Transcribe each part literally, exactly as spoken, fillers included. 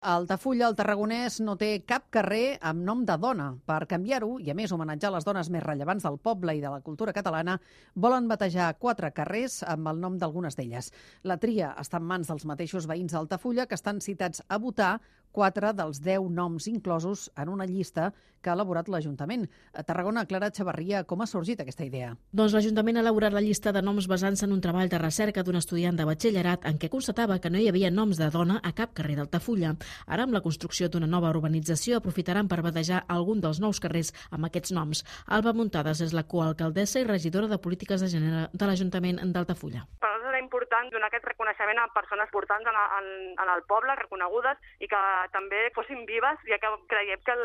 A Altafulla, el tarragonès, no té cap carrer amb nom de dona. Per canviar-ho, i a més homenatjar les dones més rellevants del poble i de la cultura catalana, volen batejar quatre carrers amb el nom d'algunes d'elles. La tria està en mans dels mateixos veïns d'Altafulla, que estan citats a votar quatre dels deu noms inclosos en una llista que ha elaborat l'Ajuntament. A Tarragona, Clara Xavarria, com ha sorgit aquesta idea? Doncs l'Ajuntament ha elaborat la llista de noms basant-se en un treball de recerca d'un estudiant de batxillerat en què constatava que no hi havia noms de dona a cap carrer d'Altafulla. Ara, amb la construcció d'una nova urbanització, aprofitaran per batejar algun dels nous carrers amb aquests noms. Alba Muntades és la coalcaldessa i regidora de Polítiques de Gènere de l'Ajuntament d'Altafulla. Per nosaltres era important donar aquest reconeixement a persones importants en, en, en el poble, reconegudes, i que també fossin vives, ja que creiem que el,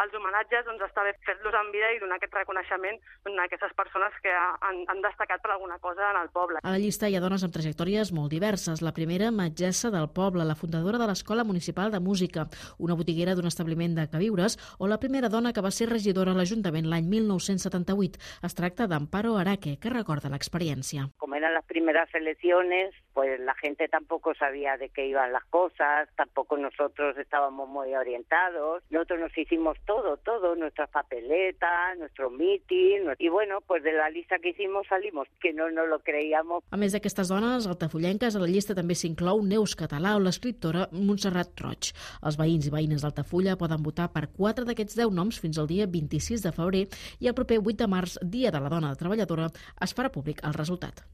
els homenatges doncs, està bé fer-los en vida i donar aquest reconeixement doncs, a aquestes persones que han, han destacat per alguna cosa en el poble. A la llista hi ha dones amb trajectòries molt diverses. La primera, metgessa del poble, la fundadora de l'Escola Municipal de Música, una botiguera d'un establiment de queviures, o la primera dona que va ser regidora a l'Ajuntament l'any mil nou-cents setanta-vuit. Es tracta d'Amparo Araque, que recorda l'experiència. Como eran las primeras elecciones, pues la gente tampoco sabía de qué iban las cosas, tampoco nosotros estábamos muy orientados. Nosotros nos hicimos todo, todo, nuestras papeletas, nuestro meeting, y bueno, pues de la lista que hicimos salimos, que no nos lo creíamos. A més d'aquestes dones altafullenques, a la llista també s'inclou Neus Català o l'escriptora Montserrat Roig. Els veïns i veïnes d'Altafulla poden votar per quatre d'aquests deu noms fins al dia vint-i-sis de febrer i el proper vuit de març, dia de la dona treballadora, es farà públic el resultat.